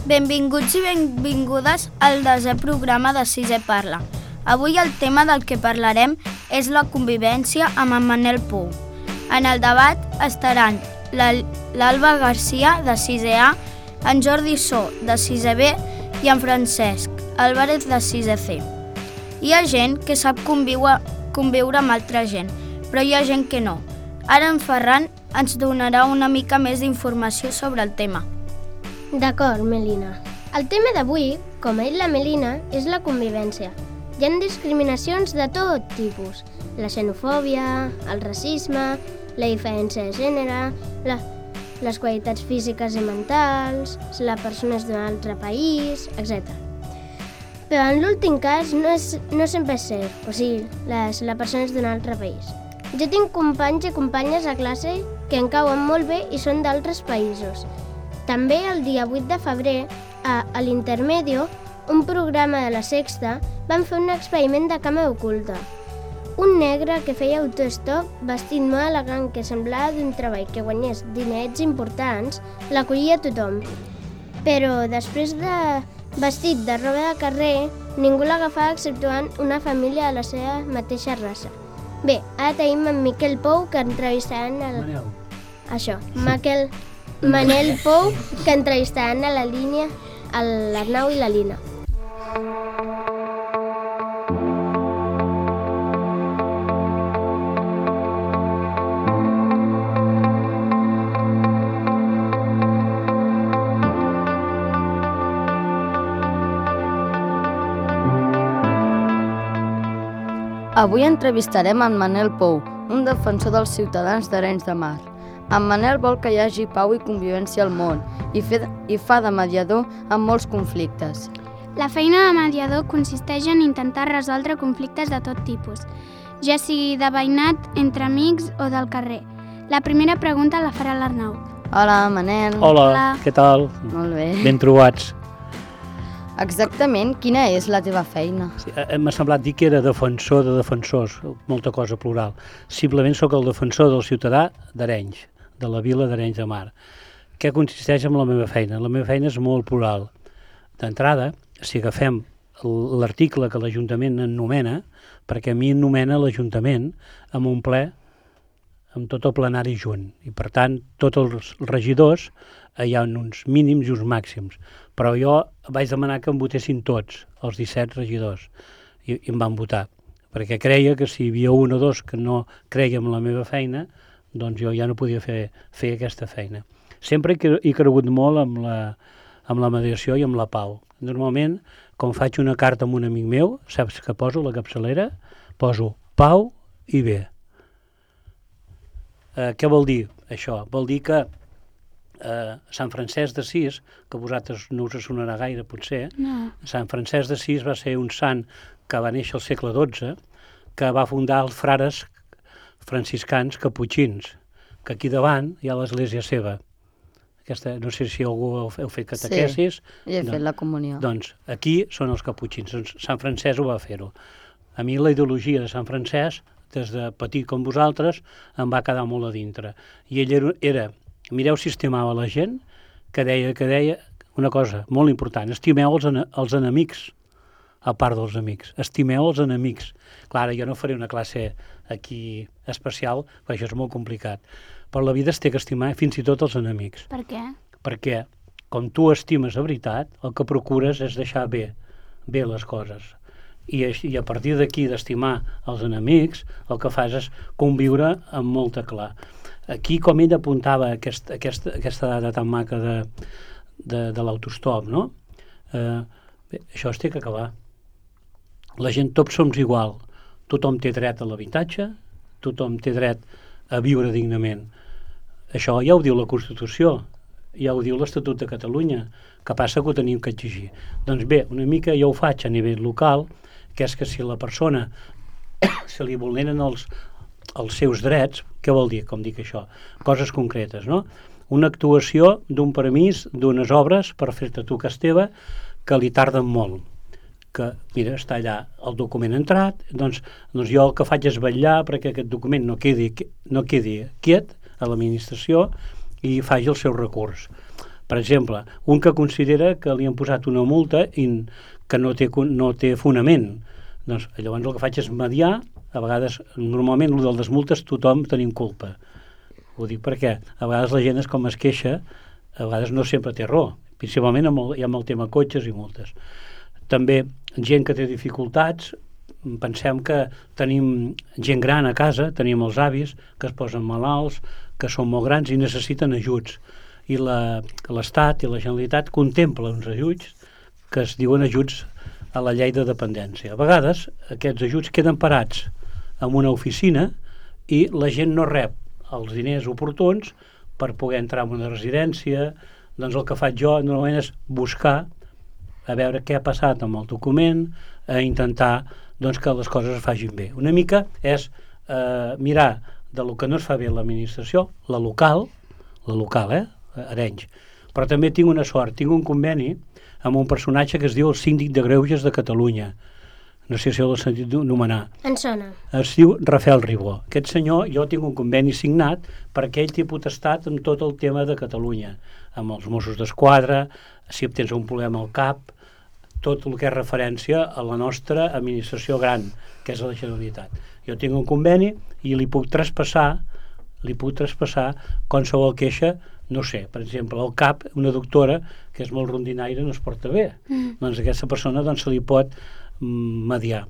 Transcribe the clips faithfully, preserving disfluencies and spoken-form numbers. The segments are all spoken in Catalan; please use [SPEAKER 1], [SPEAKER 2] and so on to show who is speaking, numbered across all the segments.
[SPEAKER 1] Benvinguts i benvingudes al desè programa de Sisè Parla. Avui el tema del que parlarem és la convivència amb en Manel Pou. En el debat estaran l'Alba Garcia, de sisè A, en Jordi So, de sisè B, i en Francesc Álvarez, de sisè C. Hi ha gent que sap conviure, conviure amb altra gent, però hi ha gent que no. Ara en Ferran ens donarà una mica més d'informació sobre el tema.
[SPEAKER 2] D'acord, Melina. El tema d'avui, com ha dit la Melina, és la convivència. Hi ha discriminacions de tot tipus. La xenofòbia, el racisme, la diferència de gènere, la, les qualitats físiques i mentals, les persones d'un altre país, etcètera. Però en l'últim cas no, és, no sempre és cert, o sigui, les, les persones d'un altre país. Jo tinc companys i companyes a classe que em cauen molt bé i són d'altres països. També el dia vuit de febrer, a, a l'Intermedio, un programa de la Sexta, van fer un experiment de càmera oculta. Un negre que feia autostop, vestit molt elegant, que semblava d'un treball que guanyés dinerets importants, l'acollia tothom. Però després de vestit de roba de carrer, ningú l'agafava exceptuant una família de la seva mateixa raça. Bé, ara tenim en Miquel Pou, que entrevistaran el...
[SPEAKER 3] Manel.
[SPEAKER 2] Això, Miquel... Manel Pou, que entrevistaran a la línia l'Arnau i la Lina.
[SPEAKER 4] Avui entrevistarem en Manel Pou, un defensor dels ciutadans d'Arenys de Mar. En Manel vol que hi hagi pau i convivència al món i, fe, i fa de mediador en molts conflictes.
[SPEAKER 5] La feina de mediador consisteix en intentar resoldre conflictes de tot tipus, ja sigui de veïnat, entre amics o del carrer. La primera pregunta la farà l'Arnau.
[SPEAKER 4] Hola, Manel.
[SPEAKER 3] Hola,
[SPEAKER 5] Hola.
[SPEAKER 3] Què tal?
[SPEAKER 4] Molt bé.
[SPEAKER 3] Ben trobats.
[SPEAKER 4] Exactament, quina és la teva feina?
[SPEAKER 3] Sí, m'ha semblat dir que era defensor de defensors, molta cosa plural. Simplement sóc el defensor del ciutadà d'Arenys, de la vila d'Arenys de Mar. Què consisteix en la meva feina? La meva feina és molt plural. D'entrada, si agafem l'article que l'Ajuntament ennomena, perquè a mi ennomena l'Ajuntament amb un ple, amb tot el plenari junt. I per tant, tots els regidors hi ha uns mínims i uns màxims. Però jo vaig demanar que em votessin tots, els disset regidors, i, i em van votar. Perquè creia que si hi havia un o dos que no creia en la meva feina, doncs jo ja no podia fer, fer aquesta feina. Sempre he, he cregut molt amb la, amb la mediació i amb la pau. Normalment, quan faig una carta a un amic meu, saps que poso la capçalera? Poso pau i bé. Eh, què vol dir això? Vol dir que eh, Sant Francesc d'Assís, que a vosaltres no us sonarà gaire potser,
[SPEAKER 5] No.
[SPEAKER 3] Sant Francesc d'Assís va ser un sant que va néixer al segle dotze, que va fundar els frares franciscans caputxins, que aquí davant hi ha l'església seva. Aquesta, no sé si algú heu, heu fet catequesis.
[SPEAKER 4] Sí, he fet la comunió.
[SPEAKER 3] Doncs aquí són els caputxins, doncs Sant Francesc ho va fer-ho. A mi la ideologia de Sant Francesc, des de petit com vosaltres, em va quedar molt a dintre. I ell era, era mireu si estimava la gent, que deia, que deia una cosa molt important, estimeu els, els enemics, a part dels amics, estimeu els enemics. Clar, jo no faré una classe aquí especial, perquè això és molt complicat, però la vida es té que estimar fins i tot els enemics.
[SPEAKER 5] Per què?
[SPEAKER 3] Perquè, com tu estimes a veritat, el que procures és deixar bé, bé les coses. I, i a partir d'aquí d'estimar els enemics, el que fas és conviure amb molta clar. Aquí, com ell apuntava aquest, aquesta, aquesta data tan maca de, de, de l'autostop, no? Eh, bé, això es té que acabar. La gent, tots som igual. Tothom té dret a l'habitatge, tothom té dret a viure dignament. Això ja ho diu la Constitució, ja ho diu l'Estatut de Catalunya, que passa que ho tenim que exigir. Doncs bé, una mica jo ho faig a nivell local, que és que si la persona se li vulneren els, els seus drets, què vol dir, com dic això? Coses concretes, no? Una actuació d'un permís, d'unes obres per fer-te tu cas teva, que li tarden molt. Que, mira, està allà el document entrat, doncs, doncs jo el que faig és vetllar perquè aquest document no quedi, no quedi quiet a l'administració i faci el seu recurs. Per exemple, un que considera que li han posat una multa i que no té, no té fonament. Doncs llavors el que faig és mediar. A vegades, normalment, el de les multes tothom tenim culpa. Ho dic perquè a vegades la gent és com es queixa, a vegades no sempre té raó, principalment amb el, hi ha amb el tema cotxes i multes. També gent que té dificultats, pensem que tenim gent gran a casa, tenim els avis que es posen malalts, que són molt grans i necessiten ajuts. I l'Estat i la Generalitat contempla uns ajuts que es diuen ajuts a la llei de dependència. A vegades aquests ajuts queden parats en una oficina i la gent no rep els diners oportuns per poder entrar en una residència. Doncs el que faig jo normalment és buscar a veure què ha passat amb el document, a intentar doncs, que les coses es facin bé. Una mica és eh, mirar de lo que no es fa bé l'administració, la local, la local, eh? Arenys. Però també tinc una sort, tinc un conveni amb un personatge que es diu el Síndic de Greuges de Catalunya. No sé si l'he sentit nomenar.
[SPEAKER 2] En sona.
[SPEAKER 3] Es diu Rafael Ribó. Aquest senyor, jo tinc un conveni signat perquè ell té potestat en tot el tema de Catalunya, amb els Mossos d'Esquadra, si tens un problema al cap, tot el que és referència a la nostra administració gran, que és la Generalitat. Jo tinc un conveni i li puc traspassar, li puc traspassar qualsevol queixa, no sé, per exemple, al cap, una doctora que és molt rondinaire no es porta bé. Mm. Doncs aquesta persona doncs, se li pot mediar.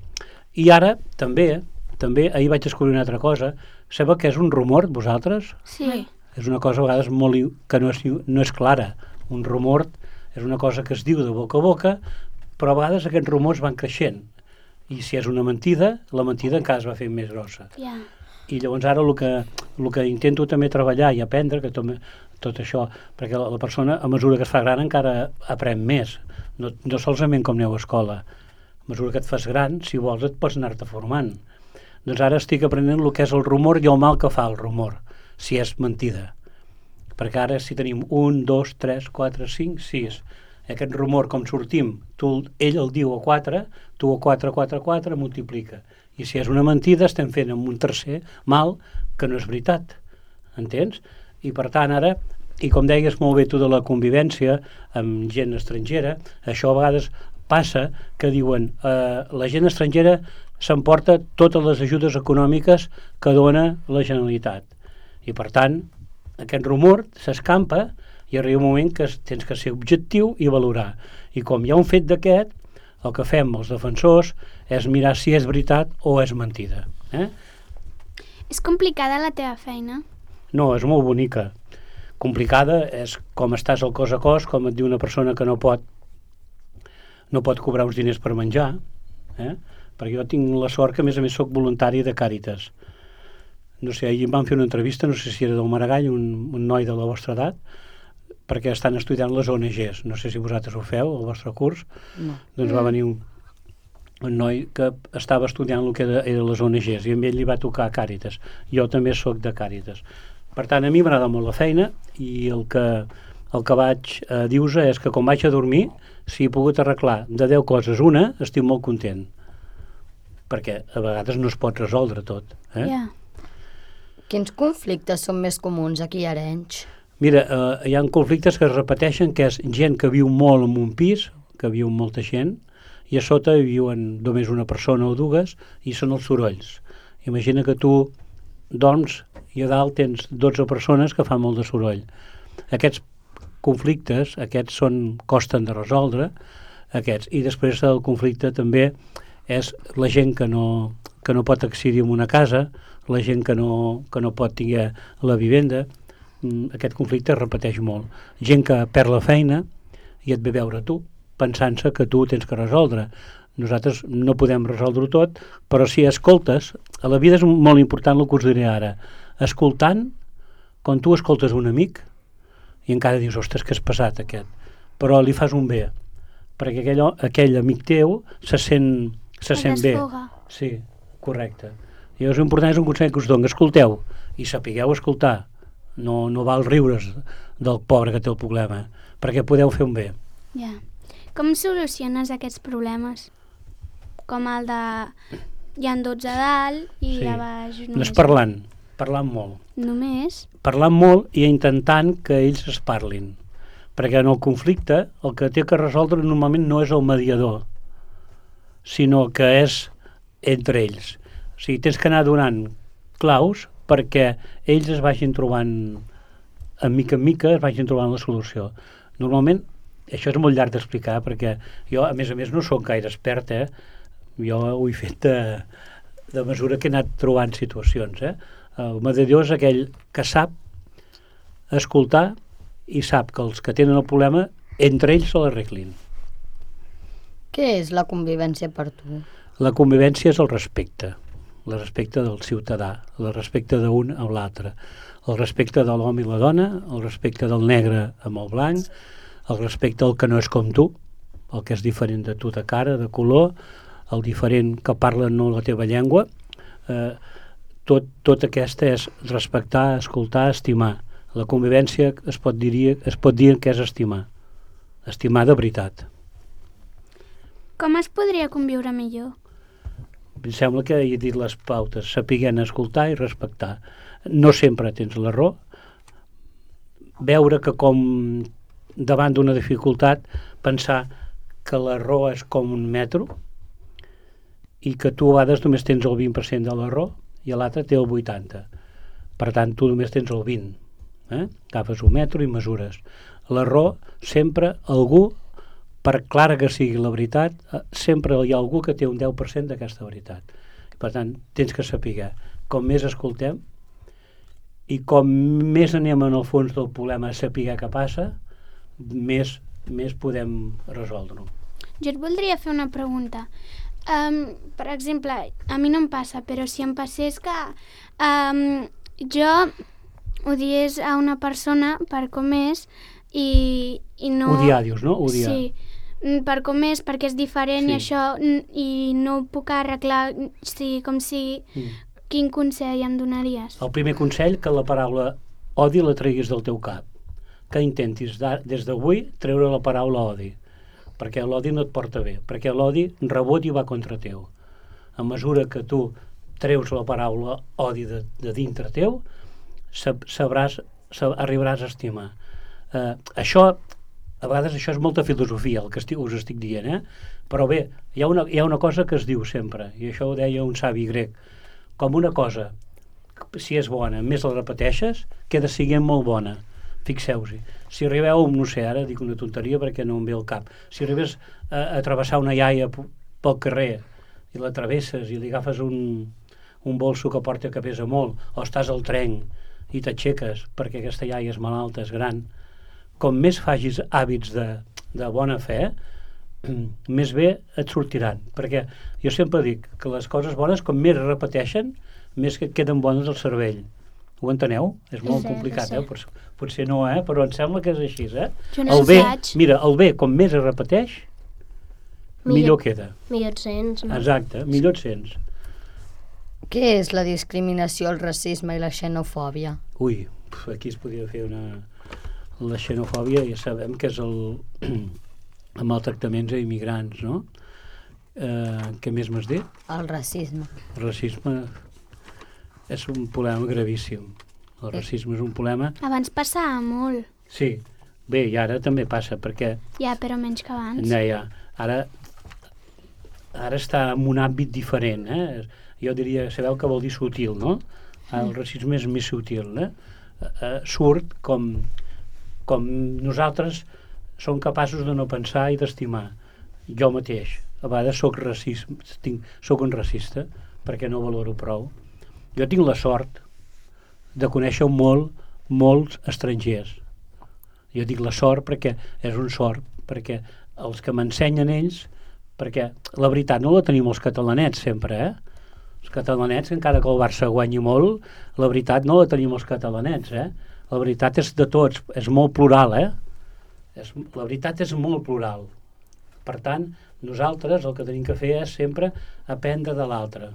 [SPEAKER 3] I ara, també, també, ahir vaig descobrir una altra cosa. Sabeu que és un rumor, vosaltres?
[SPEAKER 5] Sí.
[SPEAKER 3] És una cosa a vegades molt, que no és, no és clara. Un rumor és una cosa que es diu de boca a boca, però a vegades aquests rumors van creixent. I si és una mentida, la mentida encara es va fer més grossa.
[SPEAKER 5] Yeah.
[SPEAKER 3] I llavors ara el que, el que intento també treballar i aprendre, que tot, tot això, perquè la, la persona, a mesura que es fa gran, encara aprèn més. No, no solament com aneu a escola. A mesura que et fas gran, si vols, et pots anar-te formant. Doncs ara estic aprenent el que és el rumor i el mal que fa el rumor, si és mentida. Perquè ara si tenim un, dos, tres, quatre, cinc, sis, aquest rumor com sortim, tu, ell el diu a quatre, tu a quatre, quatre, quatre, multiplica. I si és una mentida, estem fent amb un tercer mal que no és veritat. Entens? I per tant ara, i com deies molt bé tu de la convivència amb gent estrangera, això a vegades passa que diuen eh, la gent estrangera s'emporta totes les ajudes econòmiques que dona la Generalitat. I per tant, aquest rumor s'escampa i arriba un moment que tens que ser objectiu i valorar. I com hi ha un fet d'aquest, el que fem els defensors és mirar si és veritat o és mentida. Eh?
[SPEAKER 5] És complicada la teva feina?
[SPEAKER 3] No, és molt bonica. Complicada és com estàs al cos a cos, com et diu una persona que no pot no pot cobrar uns diners per menjar, eh? Perquè jo tinc la sort que a més a més soc voluntari de Càritas. No sé, ahir em van fer una entrevista, no sé si era del Maragall, un, un noi de la vostra edat, perquè estan estudiant les O N Ges. No sé si vosaltres ho feu, el vostre curs.
[SPEAKER 4] No.
[SPEAKER 3] Doncs va venir un, un noi que estava estudiant el que era, era les O N Ges i a ell li va tocar Càritas. Jo també sóc de Càritas. Per tant, a mi m'agrada molt la feina i el que, el que vaig eh, dir-vos és que quan vaig a dormir, si he pogut arreglar de deu coses una, estic molt content. Perquè a vegades no es pot resoldre tot. Eh?
[SPEAKER 5] Yeah.
[SPEAKER 4] Quins conflictes són més comuns aquí a Arenys?
[SPEAKER 3] Mira, eh, hi ha conflictes que es repeteixen, que és gent que viu molt en un pis, que viu molta gent, i a sota viuen només una persona o dues, i són els sorolls. Imagina que tu dorms i a dalt tens dotze persones que fan molt de soroll. Aquests conflictes, aquests són, costen de resoldre, aquests. I després el conflicte també és la gent que no, que no pot accedir a una casa, la gent que no, que no pot tenir la vivenda. Aquest conflicte es repeteix molt. Gent que perd la feina i et ve veure tu, pensant-se que tu tens que resoldre. Nosaltres no podem resoldre-ho tot, però si escoltes, a la vida és molt important el que us diré ara. Escoltant, quan tu escoltes un amic, i encara dius, ostres, que és pesat aquest, però li fas un bé, perquè aquell, aquell amic teu se sent, se sent bé. Sí, correcte. I llavors l'important és un consell que us dono, escolteu, i sapigueu escoltar, no, no val riure's del pobre que té el problema, perquè podeu fer un bé.
[SPEAKER 5] Ja. Com soluciones aquests problemes? Com el de... Hi ha dotze a dalt i
[SPEAKER 3] sí.
[SPEAKER 5] a baix...
[SPEAKER 3] Només parlant, parlant molt.
[SPEAKER 5] Només?
[SPEAKER 3] Parlant molt i intentant que ells es parlin. perquè en el conflicte el que té que resoldre normalment no és el mediador, sinó que és entre ells. O sigui, tens que anar donant claus perquè ells es vagin trobant, en mica en mica, es vagin trobant la solució. Normalment, això és molt llarg d'explicar, perquè jo, a més a més, no sóc gaire expert, eh? Jo ho he fet de, de mesura que he anat trobant situacions. Eh? El mediador és aquell que sap escoltar i sap que els que tenen el problema, entre ells se l'arreglin.
[SPEAKER 4] Què és la convivència per tu?
[SPEAKER 3] La convivència és el respecte, el respecte del ciutadà, el respecte d'un a l'altre, el respecte de l'home i la dona, el respecte del negre amb el blanc, el respecte al que no és com tu, el que és diferent de tu de cara, de color, el diferent que parla no la teva llengua. Eh, tot, tot aquesta és respectar, escoltar, estimar. La convivència es pot, dir, es pot dir que és estimar. Estimar de veritat.
[SPEAKER 5] Com es podria conviure millor?
[SPEAKER 3] Em sembla que he dit les pautes, sapiguent escoltar i respectar. No sempre tens la raó. Veure que com davant d'una dificultat, pensar que la raó és com un metro i que tu a vegades només tens el vint per cent de la raó i l'altre té el vuitanta per cent. Per tant, tu només tens el vint per cent. Eh? Agafes un metro i mesures. La raó, sempre algú, per clara que sigui la veritat, sempre hi ha algú que té un deu per cent d'aquesta veritat. Per tant, tens que saber. Com més escoltem i com més anem en el fons del problema a saber què passa, més, més podem resoldre-ho.
[SPEAKER 5] Jo et voldria fer una pregunta. Um, per exemple, a mi no em passa, però si em passés que um, jo odiés a una persona per com és i, i no...
[SPEAKER 3] Odiar, dius, no? Odiar.
[SPEAKER 5] Sí, per com és, perquè és diferent, sí. I això, i no ho puc arreglar, sigui com sigui. Mm. Quin consell em donaries?
[SPEAKER 3] El primer consell, que la paraula odi la treguis del teu cap. Que intentis des d'avui treure la paraula odi, perquè l'odi no et porta bé, perquè l'odi rebot i va contra teu. A mesura que tu treus la paraula odi de, de dintre teu, sabràs, sab, arribaràs a estimar. Eh, això, a vegades això és molta filosofia, el que estic, us estic dient, eh? Però bé, hi ha, una, hi ha una cosa que es diu sempre, i això ho deia un savi grec, com una cosa, si és bona, més la repeteixes, queda siguent molt bona. Fixeu-s'hi, si arribeu, no sé, ara dic una tonteria perquè no em ve al cap, si arribes a, a travessar una iaia pel carrer i la travesses i li agafes un, un bolso que porta que pesa molt, o estàs al tren i t'aixeques perquè aquesta iaia és malalta, és gran, com més facis hàbits de, de bona fe, més bé et sortiran, perquè jo sempre dic que les coses bones, com més es repeteixen, més que et queden bones al cervell. Ho enteneu? És molt sí, complicat, sí. eh? Potser, potser no, eh? Però em sembla que és així, eh?
[SPEAKER 5] No
[SPEAKER 3] el bé, mira, el bé, com més es repeteix, millor, millor queda.
[SPEAKER 2] Millor et sents, no?
[SPEAKER 3] Exacte, millor et sents.
[SPEAKER 4] Què és la discriminació, el racisme i la xenofòbia?
[SPEAKER 3] Ui, aquí es podria fer una... La xenofòbia ja sabem que és el... amb els tractaments a immigrants, no? Eh, què més m'has dit?
[SPEAKER 4] El racisme.
[SPEAKER 3] El racisme... és un problema gravíssim. El racisme és un problema...
[SPEAKER 5] Abans passava molt.
[SPEAKER 3] Sí, bé, i ara també passa, perquè...
[SPEAKER 5] Ja, però menys que abans.
[SPEAKER 3] No, ja. Ara, ara està en un àmbit diferent, eh? Jo diria, sabeu què vol dir sutil, no? El racisme és més sutil, eh? Uh, surt com, com nosaltres som capaços de no pensar i d'estimar. Jo mateix, a vegades soc racista, tinc, soc un racista, perquè no valoro prou. Jo tinc la sort de conèixer molt, molts estrangers. Jo dic la sort perquè és un sort, perquè els que m'ensenyen ells, perquè la veritat no la tenim els catalanets sempre, eh? Els catalanets, encara que el Barça guanyi molt, la veritat no la tenim els catalanets, eh? La veritat és de tots, és molt plural, eh? És, la veritat és molt plural. Per tant, nosaltres el que tenim que fer és sempre aprendre de l'altre,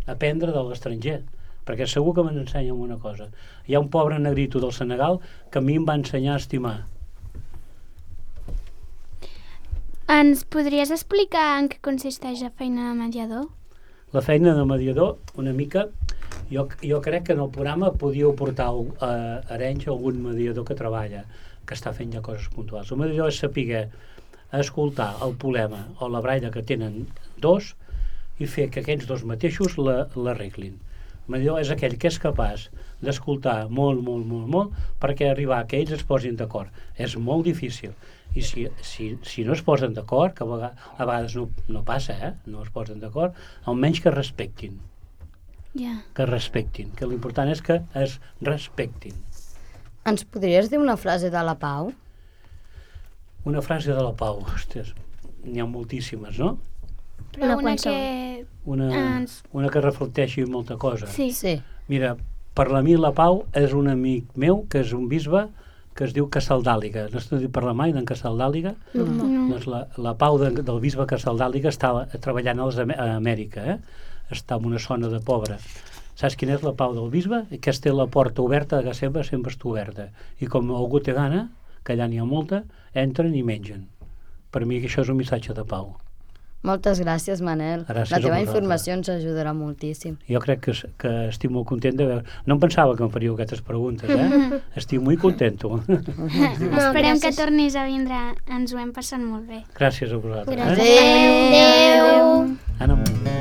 [SPEAKER 3] aprendre de l'estranger, perquè segur que m'ensenya una cosa. Hi ha un pobre negrito del Senegal que a mi em va ensenyar a estimar.
[SPEAKER 5] Ens podries explicar en què consisteix la feina de mediador?
[SPEAKER 3] La feina de mediador, una mica, jo, jo crec que en el programa podíeu portar a Arenys algun mediador que treballa, que està fent ja coses puntuals. El millor és saber escoltar el problema o la brailla que tenen dos i fer que aquests dos mateixos l'arreglin. El millor és aquell que és capaç d'escoltar molt, molt, molt, molt perquè arribar que ells es posin d'acord. És molt difícil. I si, si, si no es posen d'acord, que a vegades, a vegades no, no passa, eh? No es posen d'acord, almenys que respectin.
[SPEAKER 5] Yeah.
[SPEAKER 3] Que respectin. Que l'important és que es respectin.
[SPEAKER 4] Ens podries dir una frase de la Pau?
[SPEAKER 3] Una frase de la Pau, ostres, n'hi ha moltíssimes, no?
[SPEAKER 5] Però
[SPEAKER 2] Una
[SPEAKER 5] una,
[SPEAKER 2] qualsevol.
[SPEAKER 5] que...
[SPEAKER 3] Una,
[SPEAKER 5] Ens-
[SPEAKER 3] una que reflecteixi molta cosa.
[SPEAKER 5] Sí.
[SPEAKER 4] Sí.
[SPEAKER 3] Mira, per a mi la Pau és un amic meu que és un bisbe que es diu Casaldàliga. No has sentit parlar mai d'en Casaldàliga?
[SPEAKER 5] No.
[SPEAKER 3] Doncs la, la Pau de, del bisbe Casaldàliga està treballant a, les, a Amèrica, eh? Està en una zona de pobre. Saps quina és la Pau del bisbe? Que es té la porta oberta, que sempre, sempre està oberta. I com algú té gana, que allà n'hi ha molta, entren i mengen. Per mi això és un missatge de pau.
[SPEAKER 4] Moltes gràcies, Manel.
[SPEAKER 3] Gràcies
[SPEAKER 4] la
[SPEAKER 3] a
[SPEAKER 4] teva
[SPEAKER 3] vosaltres.
[SPEAKER 4] informació ens ajudarà moltíssim.
[SPEAKER 3] Jo crec que, que estic molt content de veure... No em pensava que em faríeu aquestes preguntes, eh? Estic molt contento.
[SPEAKER 5] Esperem que
[SPEAKER 2] gràcies.
[SPEAKER 5] tornis a vindre. Ens ho hem passat molt bé.
[SPEAKER 3] Gràcies a vosaltres.
[SPEAKER 2] Gràcies.
[SPEAKER 3] Eh?
[SPEAKER 2] Adéu.
[SPEAKER 3] Anna, molt bé.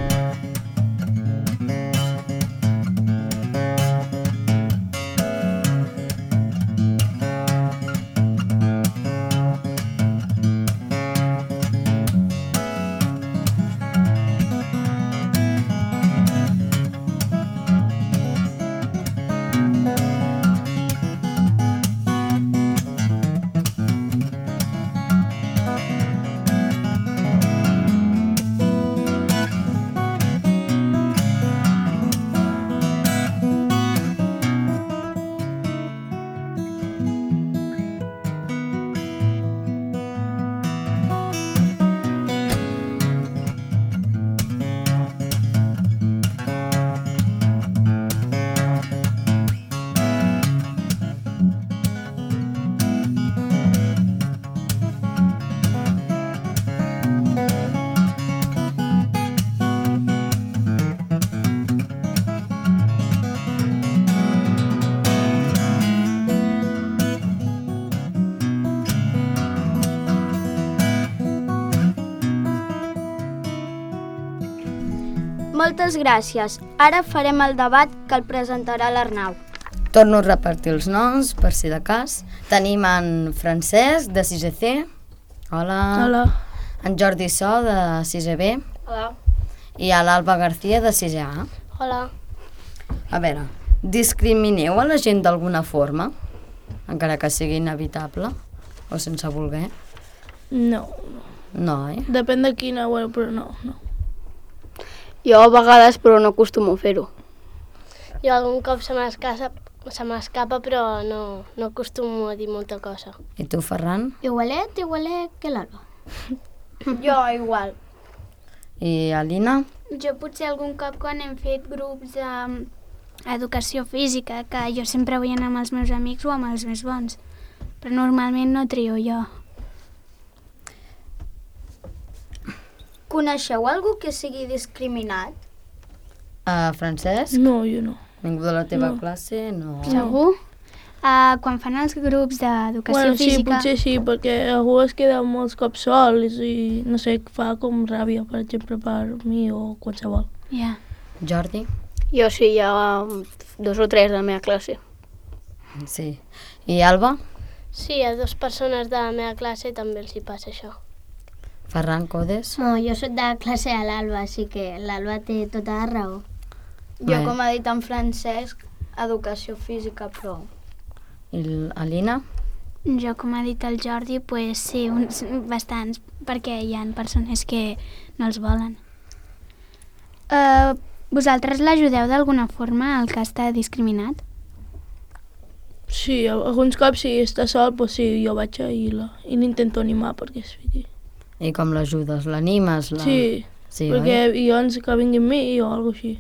[SPEAKER 1] Moltes gràcies. Ara farem el debat que el presentarà l'Arnau.
[SPEAKER 4] Torno a repartir els noms, per si de cas. Tenim en Francesc, de sisè C. Hola.
[SPEAKER 6] Hola.
[SPEAKER 4] En Jordi So, de sisè B.
[SPEAKER 2] Hola.
[SPEAKER 4] I a l'Alba García, de sisè A.
[SPEAKER 2] Hola.
[SPEAKER 4] A veure, discrimineu a la gent d'alguna forma? Encara que sigui inevitable? O sense voler?
[SPEAKER 6] No,
[SPEAKER 4] No, eh?
[SPEAKER 6] depèn de quina web, però no, no.
[SPEAKER 7] Jo a vegades, però no acostumo a fer-ho.
[SPEAKER 2] Jo algun cop se m'escapa, se m'escapa, però no, no acostumo a dir molta cosa.
[SPEAKER 4] I tu, Ferran?
[SPEAKER 2] Igualet, igualet que l'Alba.
[SPEAKER 1] Jo igual.
[SPEAKER 4] I Alina?
[SPEAKER 5] Jo potser algun cop quan hem fet grups d'educació física, que jo sempre vull anar amb els meus amics o amb els més bons, però normalment no trio jo.
[SPEAKER 1] Coneixeu algú que sigui discriminat?
[SPEAKER 4] Uh, Francesc?
[SPEAKER 6] No, jo no.
[SPEAKER 4] Ningú de la teva
[SPEAKER 6] No.
[SPEAKER 4] classe? No.
[SPEAKER 5] Segur? Uh, quan fan els grups d'educació
[SPEAKER 6] Bueno, sí,
[SPEAKER 5] física...
[SPEAKER 6] potser sí, perquè algú es queda molts cops sol i no sé, fa com ràbia, per exemple, per mi o qualsevol.
[SPEAKER 5] Ja.
[SPEAKER 4] Jordi?
[SPEAKER 7] Jo sí, hi ha dos o tres de la meva classe.
[SPEAKER 4] Sí. I Alba?
[SPEAKER 2] Sí, a dues persones de la meva classe també els hi passa això.
[SPEAKER 4] Ferran Codes?
[SPEAKER 2] No, jo soc de classe a l'Alba, així que l'Alba té tota la raó.
[SPEAKER 1] Jo,
[SPEAKER 4] Bé.
[SPEAKER 1] com ha dit en Francesc, educació física, però...
[SPEAKER 4] I l'Alina?
[SPEAKER 5] Jo, com ha dit el Jordi, pues sí, uns, bastants, perquè hi ha persones que no els volen. Uh, vosaltres l'ajudeu d'alguna forma, el que està discriminat?
[SPEAKER 6] Sí, alguns cops si està sol, doncs sí, jo vaig i la- i l'intento animar perquè es fiqui.
[SPEAKER 4] I com l'ajudes? L'animes? La...
[SPEAKER 6] Sí,
[SPEAKER 4] sí,
[SPEAKER 6] perquè
[SPEAKER 4] oi?
[SPEAKER 6] i llavors que vingui amb mi o alguna així.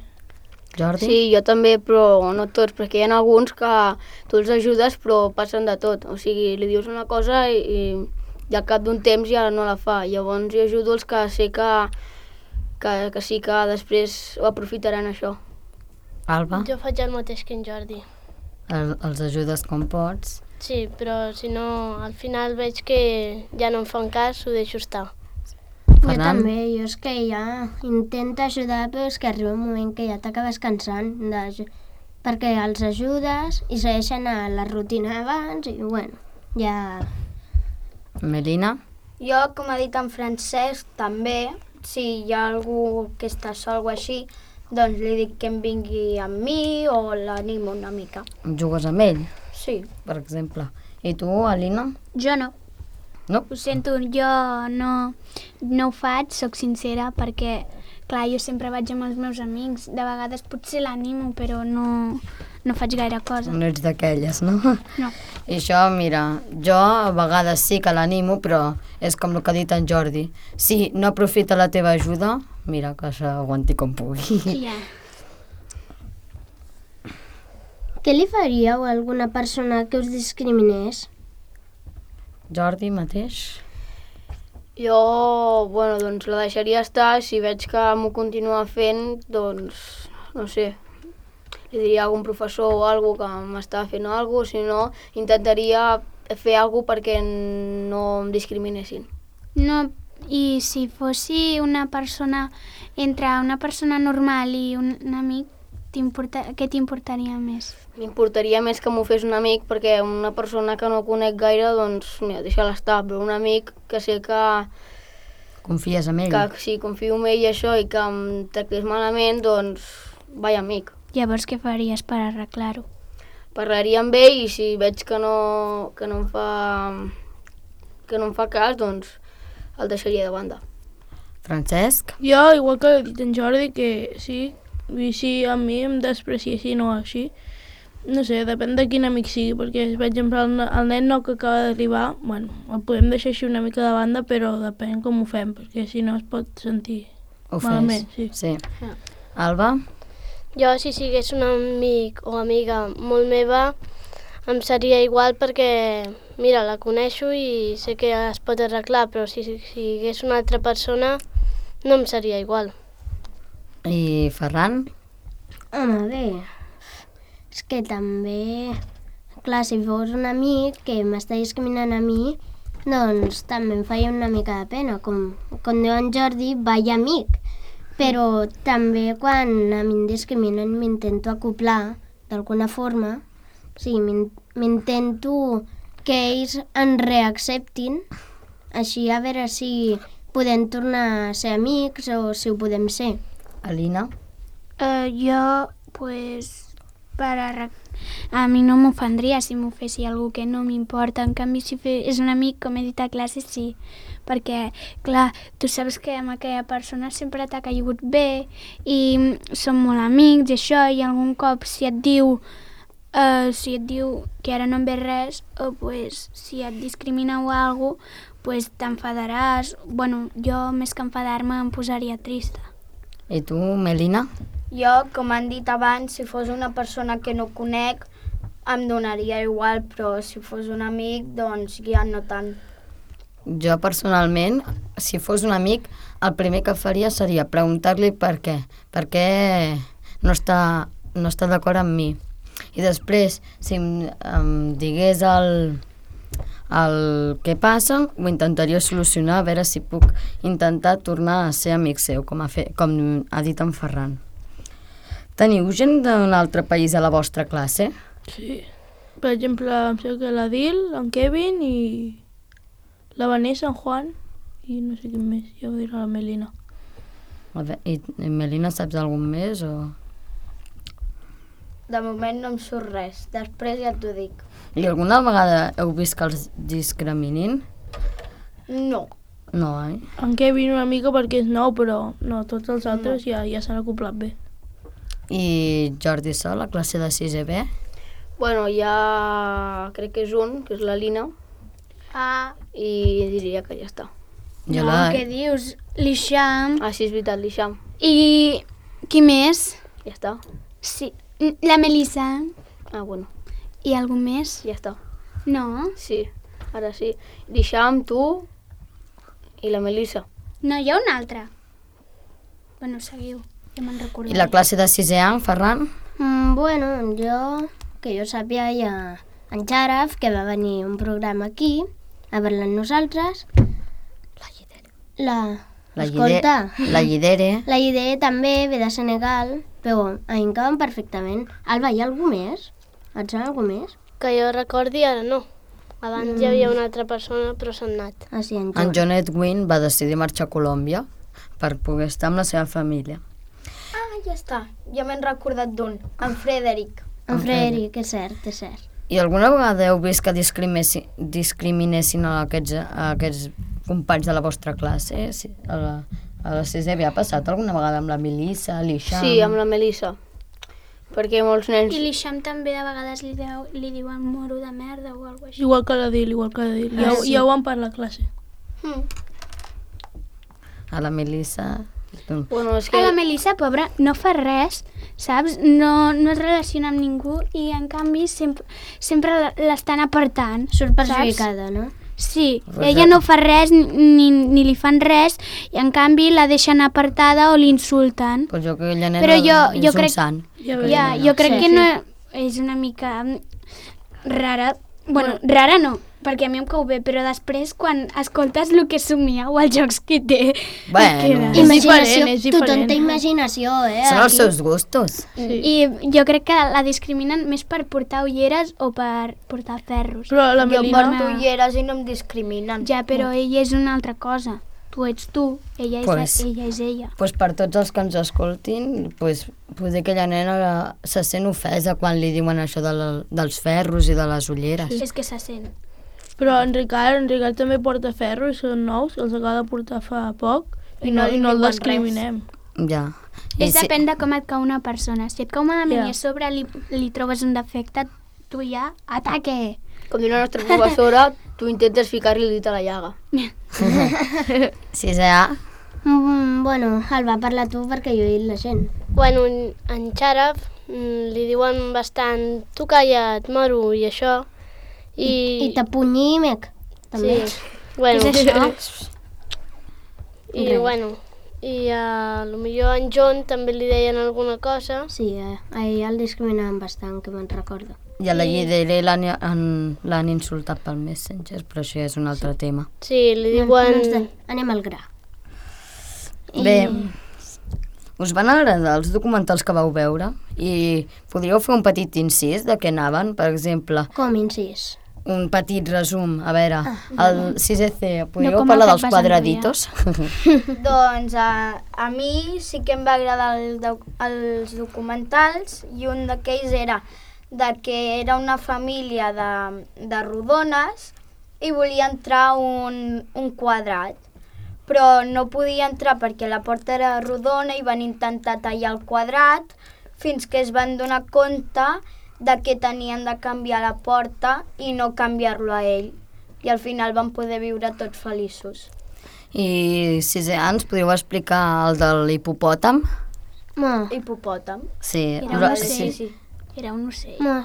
[SPEAKER 4] Jordi?
[SPEAKER 7] Sí, jo també, però no tots, perquè hi ha alguns que tu els ajudes però passen de tot. O sigui, li dius una cosa i, i al cap d'un temps ja no la fa. Llavors jo ajudo els que sé que, que, que sí que després ho aprofitaran això.
[SPEAKER 4] Alba?
[SPEAKER 2] Jo faig el mateix que en Jordi.
[SPEAKER 4] El, els ajudes com pots
[SPEAKER 2] Sí, però si no, al final veig que ja no em fan cas, ho deixo estar. Jo també, jo és que ja intento ajudar, però és que arriba un moment que ja t'acabes cansant, de... perquè els ajudes i segueixen a la rutina abans i, bueno, ja...
[SPEAKER 4] Melina?
[SPEAKER 1] Jo, com ha dit en Francesc, també, si hi ha algú que està sol o així, doncs li dic que em vingui amb mi o l'animo una mica.
[SPEAKER 4] Jugues amb ell,
[SPEAKER 1] Sí.
[SPEAKER 4] per exemple. I tu, Alina?
[SPEAKER 5] Jo no.
[SPEAKER 4] No?
[SPEAKER 5] Ho sento, jo no, no ho faig, sóc sincera, perquè, clar, jo sempre vaig amb els meus amics. De vegades potser l'animo, però no, no faig gaire cosa.
[SPEAKER 4] No ets d'aquelles, no?
[SPEAKER 5] No.
[SPEAKER 4] I això, mira, jo a vegades sí que l'animo, però és com el que ha dit en Jordi. Si no aprofita la teva ajuda, mira, que s'aguanti com pugui.
[SPEAKER 5] Ja.
[SPEAKER 2] Què li faríeu a alguna persona que us discriminés?
[SPEAKER 4] Jordi mateix?
[SPEAKER 7] Jo, bueno, doncs la deixaria estar. Si veig que m'ho continua fent, doncs, no sé, li diria a algun professor o algú que m'està fent alguna cosa, si no, intentaria fer alguna cosa perquè no em discriminessin.
[SPEAKER 5] No, i si fossi una persona, entre una persona normal i un, un amic, què t'importaria més?
[SPEAKER 7] M'importaria més que m'ho fes un amic, perquè una persona que no conec gaire, doncs, mira, deixa-la estar, però un amic que sé que,
[SPEAKER 4] Confies en ell?
[SPEAKER 7] que si confio en ell i això i que em tractés malament, doncs, vai amic.
[SPEAKER 5] Llavors què faries per arreglar-ho?
[SPEAKER 7] Parlaria amb ell i si veig que no, que no em fa que no em fa cas, doncs el deixaria de banda.
[SPEAKER 3] Francesc?
[SPEAKER 6] Jo, igual que ha dit en Jordi, que sí, i si a mi em despreciessin o així, no sé, depèn de quin amic sigui, perquè, per exemple, el, el nen nou que acaba d'arribar, bueno, el podem deixar així una mica de banda, però depèn com ho fem, perquè si no es pot sentir
[SPEAKER 4] Ho
[SPEAKER 6] malament.
[SPEAKER 4] fes?
[SPEAKER 6] Sí.
[SPEAKER 4] Sí. Alba?
[SPEAKER 2] Jo, si sigués un amic o amiga molt meva, em seria igual perquè, mira, la coneixo i sé que es pot arreglar, però si, si sigués una altra persona, no em seria igual.
[SPEAKER 4] I Ferran?
[SPEAKER 2] Home, bé, és que també, clar, si fos un amic que m'està discriminant a mi, doncs també em feia una mica de pena, com, com diu en Jordi, vaya amic. Però també quan a mi em discriminen m'intento acoplar d'alguna forma, o sigui, m'in- m'intento que ells en reacceptin, així a veure si podem tornar a ser amics o si ho podem ser.
[SPEAKER 4] Alina?
[SPEAKER 5] Uh, jo, pues, per arreg... a mi no m'ofendria si m'ho fessi algú que no m'importa. En canvi, si fe... és un amic, com he dit a classe, sí. Perquè, clar, tu saps que amb aquella persona sempre t'ha caigut bé i som molt amics i això, i algun cop si et diu uh, si et diu que ara no em ve res, o pues, si et discrimina o alguna cosa, pues t'enfadaràs. Bueno, jo més que enfadar-me em posaria trista.
[SPEAKER 4] I tu, Melina?
[SPEAKER 1] Jo, com han dit abans, si fos una persona que no conec, em donaria igual, però si fos un amic, doncs ja no tant.
[SPEAKER 4] Jo personalment, si fos un amic, el primer que faria seria preguntar-li per què, per què no està, no està d'acord amb mi. I després, si em, em digués el, el què passa, ho intentaria solucionar, a veure si puc intentar tornar a ser amic seu, com ha, fet, com ha dit en Ferran. Teniu gent d'un altre país a la vostra classe?
[SPEAKER 6] Sí. Per exemple, em sembla que l'Adil, en Kevin i la Vanessa, en Juan i no sé quin més, ja ho dirà la Melina.
[SPEAKER 4] A veure, I, i Melina, saps algun més? O...
[SPEAKER 1] De moment no em surt res, després ja t'ho dic.
[SPEAKER 4] I alguna vegada heu vist que els discriminin?
[SPEAKER 1] No.
[SPEAKER 4] No, eh?
[SPEAKER 6] En Kevin una mica perquè és nou, però no, tots els altres no. ja, ja s'han acoplat bé.
[SPEAKER 4] I Jordi Sol, la classe de sisè B?
[SPEAKER 7] Bueno, ja crec que és un, que és la Lina,
[SPEAKER 5] Ah,
[SPEAKER 7] i diria que ja està.
[SPEAKER 4] Jo
[SPEAKER 5] no,
[SPEAKER 4] la...
[SPEAKER 5] què dius? L'Ixam.
[SPEAKER 7] Ah, sí, és veritat, l'Ixam.
[SPEAKER 5] I qui més?
[SPEAKER 7] Ja està.
[SPEAKER 5] Sí, la Melissa.
[SPEAKER 7] Ah, bueno,
[SPEAKER 5] I algú més?
[SPEAKER 7] ja està.
[SPEAKER 5] No?
[SPEAKER 7] Sí, ara sí. L'Ixam, tu i la Melissa.
[SPEAKER 5] No, hi ha una altra. Bueno, seguiu, ja me'n
[SPEAKER 4] I
[SPEAKER 5] recordaré.
[SPEAKER 4] la classe de sisè A, Ferran?
[SPEAKER 2] Mm, bueno, jo, que jo sàpiga, ja en Xaraf, que va venir un programa aquí a parlar amb nosaltres. La
[SPEAKER 4] La,
[SPEAKER 2] Escolta,
[SPEAKER 4] llide, la llidere.
[SPEAKER 2] la Idea també ve de Senegal, però a mi em caben perfectament. Alba, hi ha algú més? Et sona algú més?
[SPEAKER 8] Que jo recordi, ara no. Abans mm. hi havia una altra persona, però s'ha anat.
[SPEAKER 2] Ah, sí, en
[SPEAKER 4] En
[SPEAKER 2] John.
[SPEAKER 4] John Edwin va decidir marxar a Colòmbia per poder estar amb la seva família.
[SPEAKER 1] Ah, ja està. Ja m'he recordat d'un. En Frederic.
[SPEAKER 2] En Frederic, és cert, és cert.
[SPEAKER 4] I alguna vegada heu vist que discriminessin, discriminessin a aquests, a aquests companys de la vostra classe? Sí, a la, a la sisè havia passat alguna vegada amb la Melissa, l'Ixam?
[SPEAKER 7] Sí, amb la Melissa. Perquè molts nens...
[SPEAKER 5] I l'Ixam també de vegades li, deu, li diuen moro de merda o alguna cosa així.
[SPEAKER 6] Igual que la Dil, igual que la Dil. Ja,
[SPEAKER 2] Ah, sí.
[SPEAKER 6] ja ho van per la classe.
[SPEAKER 7] Mm.
[SPEAKER 4] A la Melissa...
[SPEAKER 7] Bueno, és
[SPEAKER 5] A
[SPEAKER 7] que...
[SPEAKER 5] la Melissa, pobra, no fa res, saps? No, no es relaciona amb ningú i, en canvi, sempre, sempre l'estan apartant.
[SPEAKER 2] Surt
[SPEAKER 5] saps?
[SPEAKER 2] perjudicada, no?
[SPEAKER 5] Sí,
[SPEAKER 4] Pues
[SPEAKER 5] ella
[SPEAKER 4] ja-
[SPEAKER 5] no fa res ni, ni li fan res i, en canvi, la deixen apartada o l'insulten.
[SPEAKER 4] Pues jo que aquella nena
[SPEAKER 5] Però jo-
[SPEAKER 4] és
[SPEAKER 5] jo
[SPEAKER 4] un
[SPEAKER 5] crec-
[SPEAKER 4] sant.
[SPEAKER 6] Ja
[SPEAKER 5] Ja,
[SPEAKER 6] veiem.
[SPEAKER 5] jo crec
[SPEAKER 2] Sí,
[SPEAKER 5] que
[SPEAKER 2] sí.
[SPEAKER 5] no és una mica rara. Bueno, rara no, perquè a mi em cau bé, però després, quan escoltes el que somia o els jocs que té,
[SPEAKER 4] Bueno.
[SPEAKER 5] et quedes.
[SPEAKER 6] És
[SPEAKER 2] Imaginació,
[SPEAKER 6] diferent, és
[SPEAKER 2] tothom
[SPEAKER 6] diferent.
[SPEAKER 2] té imaginació, eh?
[SPEAKER 4] Són els
[SPEAKER 2] aquí.
[SPEAKER 4] seus gustos.
[SPEAKER 6] Sí.
[SPEAKER 5] I jo crec que la discriminen més per portar ulleres o per portar ferros.
[SPEAKER 6] Però la
[SPEAKER 1] Jo
[SPEAKER 6] Melina...
[SPEAKER 1] porto ulleres i no em discriminen.
[SPEAKER 5] Ja, però ella és una altra cosa. Tu ets tu, ella és,
[SPEAKER 4] Pues-
[SPEAKER 5] ella, és ella.
[SPEAKER 4] Pues per tots els que ens escoltin, pues, poder aquella nena se sent ofesa quan li diuen això de la, dels ferros i de les ulleres.
[SPEAKER 5] És que se sent.
[SPEAKER 6] Però en Ricard, en Ricard també porta ferro i són nous, els acaba de portar fa poc i,
[SPEAKER 1] I
[SPEAKER 6] no,
[SPEAKER 1] no li
[SPEAKER 6] i no el
[SPEAKER 1] diuen
[SPEAKER 6] discriminem.
[SPEAKER 4] Ja.
[SPEAKER 5] És depèn de com et cau una persona. Si et cau malament
[SPEAKER 6] Ja.
[SPEAKER 5] i a sobre li, li trobes un defecte, tu ja ataque.
[SPEAKER 7] Com diu la nostra professora, tu intentes ficar-li el dit a la llaga.
[SPEAKER 4] Sisè A.
[SPEAKER 2] Mm, bueno, Alba, parla tu perquè jo he dit la gent.
[SPEAKER 8] Bueno, en- en Xaraf mm, li diuen bastant tu calla't, moro, i això. I,
[SPEAKER 2] I t'apunyi, mec. També.
[SPEAKER 8] Sí. Bueno,
[SPEAKER 5] Què és això?
[SPEAKER 8] I
[SPEAKER 2] Res.
[SPEAKER 8] bueno, i a lo millor en John també li deien alguna cosa.
[SPEAKER 2] Sí, eh, a ell el discriminaven bastant, que me'n recordo.
[SPEAKER 4] I a la Llidere l'han han- l'han insultat pel Messenger, però això és un altre tema.
[SPEAKER 8] Sí, li
[SPEAKER 2] No, no ens
[SPEAKER 8] diuen...
[SPEAKER 2] de... Anem al gra.
[SPEAKER 4] Bé, us van agradar els documentals que vau veure? I podríeu fer un petit incís de què anaven? Per exemple,
[SPEAKER 2] Com incís?
[SPEAKER 4] un petit resum. A veure, el sisè C, podríeu
[SPEAKER 5] com
[SPEAKER 4] parlar
[SPEAKER 5] el
[SPEAKER 4] dels
[SPEAKER 5] que et vas
[SPEAKER 4] quadraditos?
[SPEAKER 1] Doncs a, a mi sí que em va agradar el, doc- els documentals i un d'aquells era de que era una família de, de rodones i volia entrar un, un quadrat, però no podia entrar perquè la porta era rodona i van intentar tallar el quadrat fins que es van donar compte de que tenien de canviar la porta i no canviar-lo a ell. I al final van poder viure tots feliços.
[SPEAKER 4] I sisè A, ens podríeu explicar el de l'hipopòtam?
[SPEAKER 2] Ma,
[SPEAKER 1] Hipopòtam.
[SPEAKER 4] Sí,
[SPEAKER 5] Era un
[SPEAKER 4] la-
[SPEAKER 5] ocell.
[SPEAKER 4] sí.
[SPEAKER 5] Era un ocell.
[SPEAKER 2] ma.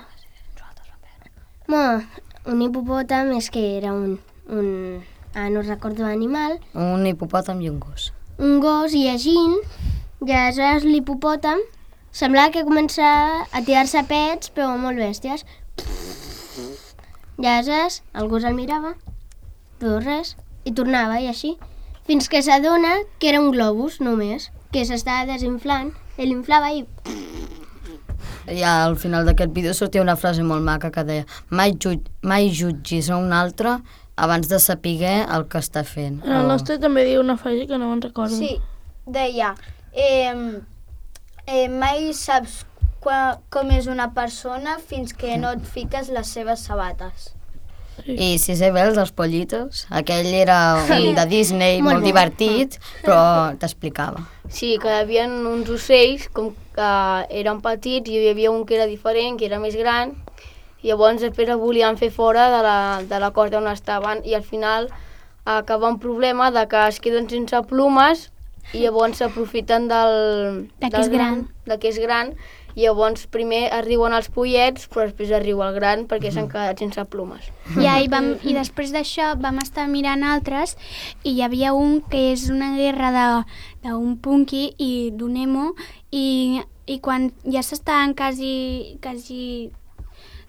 [SPEAKER 2] Ma, un hipopòtam és que era un... un ah, no recordo l'animal,
[SPEAKER 4] Un hipopòtam i un gos.
[SPEAKER 2] un gos llegint, i aleshores l'hipopòtam semblava que començava a tirar-se pets, però molt bèsties. I aleshores el gos el mirava, però res, i tornava, i així, fins que s'adona que era un globus només, que s'estava desinflant, ell inflava i...
[SPEAKER 4] I al final d'aquest vídeo sortia una frase molt maca que deia mai, ju mai jutgis a un altre abans de saber el que està fent.
[SPEAKER 6] En el
[SPEAKER 4] O-
[SPEAKER 6] nostre també diu una frase que no me'n recordo.
[SPEAKER 1] Sí, deia, eh, eh, mai saps qua, com és una persona fins que no et fiques les seves sabates.
[SPEAKER 4] I sisè B, els dels pollitos. Aquell era un de Disney,
[SPEAKER 2] Molt
[SPEAKER 4] molt,
[SPEAKER 2] bo.
[SPEAKER 4] divertit, però t'explicava.
[SPEAKER 7] Sí, que hi havia uns ocells com que eren petits i hi havia un que era diferent, que era més gran, i llavors després el volien fer fora de la, de la corda on estaven i al final acaba un problema de que es queden sense plomes i llavors s'aprofiten del...
[SPEAKER 5] De que
[SPEAKER 7] del
[SPEAKER 5] és gran.
[SPEAKER 7] De que és gran i llavors primer arriben els pollets però després arriba el gran perquè s'han quedat sense plomes.
[SPEAKER 5] Ja, i, vam, i després d'això vam estar mirant altres i hi havia un que és una guerra de- d'un punky i d'un emo i, i quan ja s'estaven quasi, quasi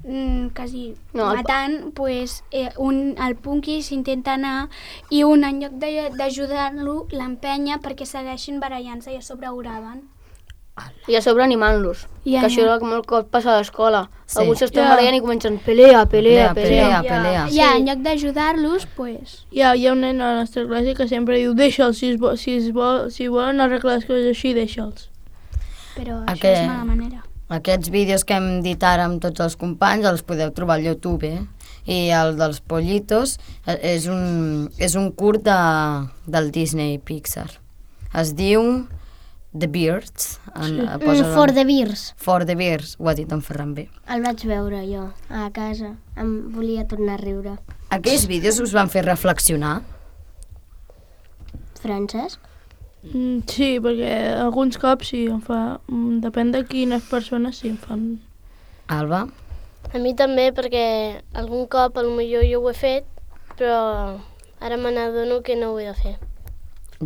[SPEAKER 5] mm, quasi
[SPEAKER 7] No, el-
[SPEAKER 5] matant, pues, eh, un, el Punky s'intenta anar i un, en lloc de- d'ajudar-lo, l'empenya perquè segueixin barallant-se i a sobre oraven.
[SPEAKER 7] I a sobre animant-los.
[SPEAKER 5] Ja,
[SPEAKER 7] que això
[SPEAKER 5] ja.
[SPEAKER 7] és el que molt cop passa a l'escola.
[SPEAKER 4] Sí.
[SPEAKER 7] Alguns s'estan
[SPEAKER 6] Ja.
[SPEAKER 7] barallant i comencen pelea, pelea, pelea.
[SPEAKER 4] pelea, pelea.
[SPEAKER 5] Ja, en lloc d'ajudar-los, pues...
[SPEAKER 6] Hi ha, hi ha un nen a la nostra classe que sempre diu deixa'ls, si, es vo, si, es vol, si volen arreglar les coses així, deixa'ls.
[SPEAKER 5] Però
[SPEAKER 4] A
[SPEAKER 5] això
[SPEAKER 4] què?
[SPEAKER 5] és mala manera.
[SPEAKER 4] Aquests vídeos que hem dit ara amb tots els companys els podeu trobar al YouTube, eh? I el dels pollitos eh, és un, és un curt de, del Disney Pixar. Es diu The Beards. En,
[SPEAKER 2] Mm,
[SPEAKER 4] posa
[SPEAKER 2] For the Beers.
[SPEAKER 4] For the Bears, ho ha dit en Ferran bé.
[SPEAKER 2] El vaig veure jo a casa. Em volia tornar a riure.
[SPEAKER 4] Aquells vídeos us van fer reflexionar?
[SPEAKER 2] Francesc?
[SPEAKER 6] Mm, sí, perquè alguns cops sí, em fa... Mm, depèn de quines persones sí em fan...
[SPEAKER 4] Alba?
[SPEAKER 8] A mi també, perquè algun cop potser jo ho he fet, però ara me n'adono que no ho he de fer.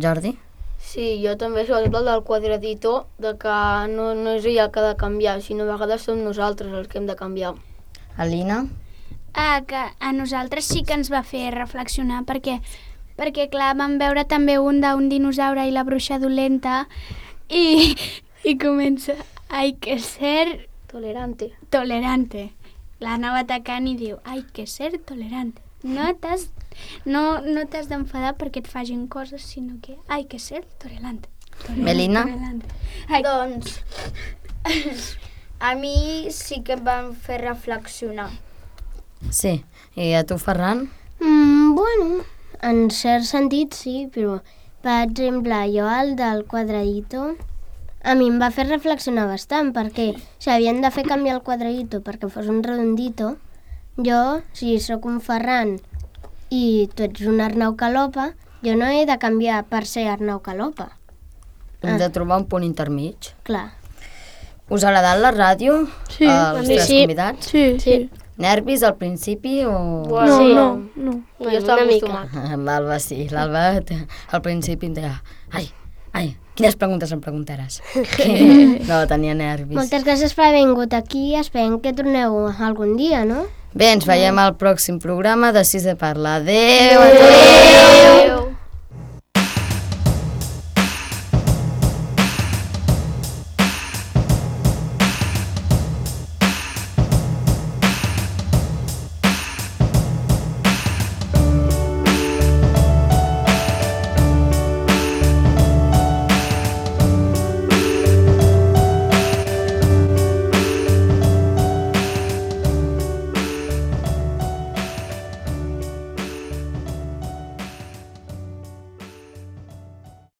[SPEAKER 4] Jordi?
[SPEAKER 7] Sí, jo també, sobretot el del quadradito, de que no, no és ella el que ha de canviar, sinó a vegades som nosaltres els que hem de canviar.
[SPEAKER 4] Alina?
[SPEAKER 5] Ah, que a nosaltres sí que ens va fer reflexionar perquè, perquè clar, vam veure també un d'un dinosaure i la bruixa dolenta i, i comença hay que ser
[SPEAKER 7] Tolerante.
[SPEAKER 5] tolerante. L'anava atacant i diu hay que ser tolerante. No t'has no, no t'has d'enfadar perquè et facin coses, sinó que hay que ser tolerante. tolerante
[SPEAKER 4] Melina?
[SPEAKER 5] tolerante. Ai,
[SPEAKER 1] Doncs, a mi sí que em van fer reflexionar.
[SPEAKER 4] Sí. I a tu, Ferran?
[SPEAKER 2] Mm, bueno, en cert sentit sí, però per exemple, jo el del quadradito a mi em va fer reflexionar bastant perquè si havien de fer canviar el quadradito perquè fos un redondito, jo, si sóc un Ferran i tu ets un Arnau Calopa, jo no he de canviar per ser Arnau Calopa.
[SPEAKER 4] Hem de trobar un punt intermig.
[SPEAKER 2] Clar.
[SPEAKER 4] Us ha agradat la ràdio?
[SPEAKER 6] Sí,
[SPEAKER 4] Els
[SPEAKER 8] a mi
[SPEAKER 4] tres
[SPEAKER 8] sí.
[SPEAKER 4] convidats?
[SPEAKER 6] Sí, sí.
[SPEAKER 4] Nervis al principi o...?
[SPEAKER 6] No,
[SPEAKER 7] Bueno, sí,
[SPEAKER 6] no, no.
[SPEAKER 7] Jo estava
[SPEAKER 8] una mica.
[SPEAKER 7] acostumat.
[SPEAKER 4] L'Alba sí, l'Alba te- al principi em deia ai, ai, quines preguntes em preguntaràs? No, tenia nervis.
[SPEAKER 2] Moltes gràcies per haver vingut aquí, esperem que torneu algun dia, no?
[SPEAKER 4] Bé, ens veiem al pròxim programa de Sis de Parla. Adéu! Adéu!